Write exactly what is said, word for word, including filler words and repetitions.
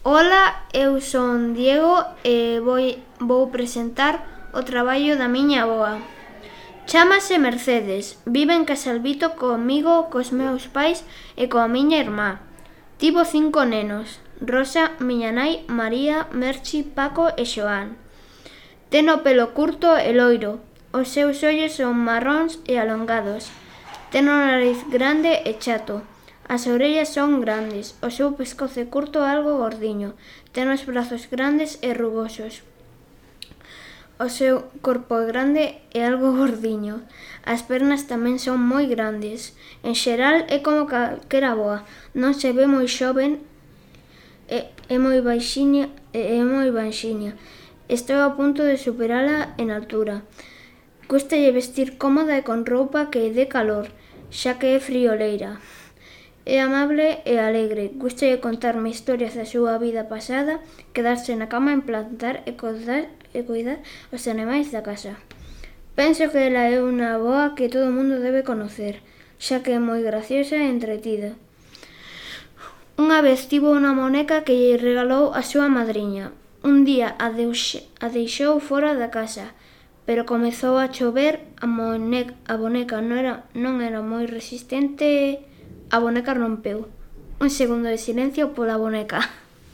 Ola, eu son Diego e voi, vou presentar o traballo da miña avoa. Chámase Mercedes, vive en Casalvito comigo, cos meus pais e coa miña irmá. Tivo cinco nenos: Rosa, miña nai, María, Merchi, Paco e Xoán. Ten o pelo curto e loiro. Os seus ollos son marróns e alongados. Ten o nariz grande e chato. As orellas son grandes, o seu pescozo é curto e algo gordiño. Ten os brazos grandes e rugosos. O seu corpo é grande e algo gordiño. As pernas tamén son moi grandes. En xeral é como calquera avoa. Non se ve moi xoven, é, é moi baixiña, é, é moi baixiña. Estou a punto de superala en altura. Cústalle vestir cómoda e con roupa que dé calor, xa que é frioleira. É amable e alegre, gústalle contarme historias da súa vida pasada, quedarse na cama en plantar e cuidar, e cuidar os animais da casa. Penso que ela é unha avoa que todo o mundo debe conocer, xa que é moi graciosa e entretida. Unha vez tivo unha moneca que lle regalou a súa madriña. Un día a, deuxe, a deixou fora da casa, pero comezou a chover, a, moneca, a boneca non era, non era moi resistente. A boneca rompeu. Un segundo de silencio pola boneca.